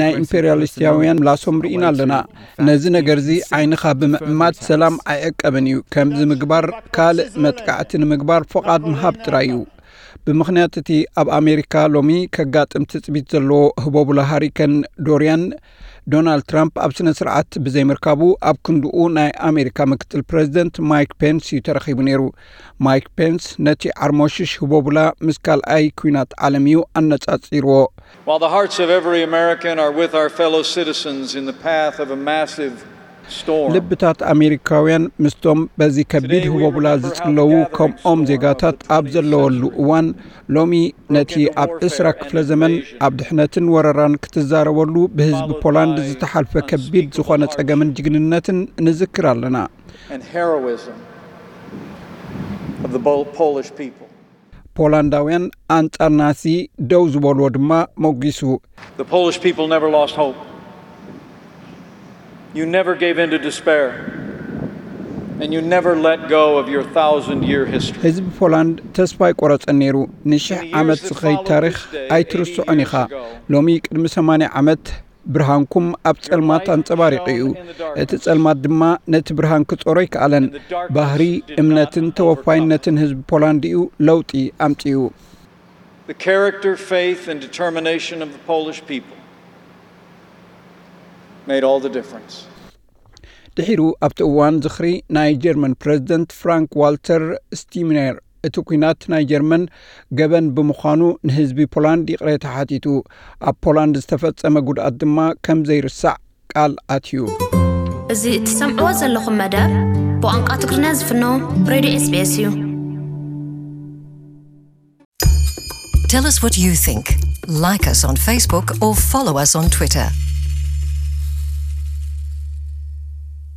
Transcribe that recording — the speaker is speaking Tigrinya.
ናይ ኢምፔርያሊስታውያን ምላሶም ርኢና ኣለና። ነዚ ነገር እዚ ዓይንኻ ብምዕማድ ሰላም ኣይዕቀብን እዩ። ከምዚ ምግባር ካልእ መጥቃዕቲ ንምግባር ፍቓድ ምሃብ ጥራይ እዩ። ብምኽንያት እቲ ኣብ ኣሜሪካ ሎሚ ከጋጥም ትጽቢት ዘለዎ ህቦብላ ሃሪከን ዶርያን፣ ዶናልድ ትራምፕ ኣብ ስነ ስርዓት ብዘይምርካቡ ኣብ ክንድኡ ናይ ኣሜሪካ ምክትል ፕሬዚደንት ማይክ ፔንስ እዩ ተረኺቡ ነይሩ። ማይክ ፔንስ ነቲ ዓርሞሽሽ ህቦብላ ምስ ካልኣይ ኲናት ዓለም እዩ ኣነጻጺርዎ። While the hearts of every American are with our fellow citizens in the path of a massive storm, ልብታት ኣሜሪካውያን ምስቶም በዚ ከቢድ ህቦብላ ዝጽለዉ ከምኦም ዜጋታት ኣብ ዘለወሉ እዋን፣ ሎሚ ነቲ ኣብ ዕስራ ክፍለ ዘመን ኣብ ድሕነትን ወረራን ክትዛረበሉ ብህዝቢ ፖላንድ ዝተሓልፈ ከቢድ ዝኾነ ጸገምን ጅግንነትን ንዝክር ኣለና። and heroism of the Bo- Polish people. ፖላንዳውያን ኣንጻር ናዚ ደው ዝበልዎ ድማ ሞጒሱ። The Polish people never lost hope. You never gave in to despair. And you never let go of your thousand year history. ህዝቢ ፖላንድ ተስፋ ኣይቆረጸን ነይሩ። ንሽሕ ዓመት ዝኸይድ ታሪኽ ኣይትርስዖን ኢኻ። ሎሚ ቅድሚ ሰማንያ ዓመት ብርሃንኩም ኣብ ጸልማት ኣንጸባሪቑ እዩ። እቲ ጸልማት ድማ ነቲ ብርሃን ክጾሮ ኣይከኣለን። ባህሪ፣ እምነትን ተወፋይነትን ህዝቢ ፖላንድ እዩ ለውጢ ኣምጺኡ። The character, faith, and determination of the Polish people made all the difference. ድሒሩ ኣብቲ እዋን ዝኽሪ ናይ ጀርመን ፕረዚደንት ፍራንክ ዋልተር ስቲምነር እቲ ኲናት ናይ ጀርመን ገበን ብምዃኑ ንህዝቢ ፖላንድ ይቕሬታ ሓቲቱ። ኣብ ፖላንድ ዝተፈጸመ ጉድኣት ድማ ከም ዘይርሳዕ ቃል ኣትዩ። እዚ እትሰምዕዎ ዘለኹም መደብ ብቋንቋ ትግርኛ ዝፍኖ ሬድዮ ኤስቢኤስ እዩ። Tell us what you think. Like us on Facebook or follow us on Twitter.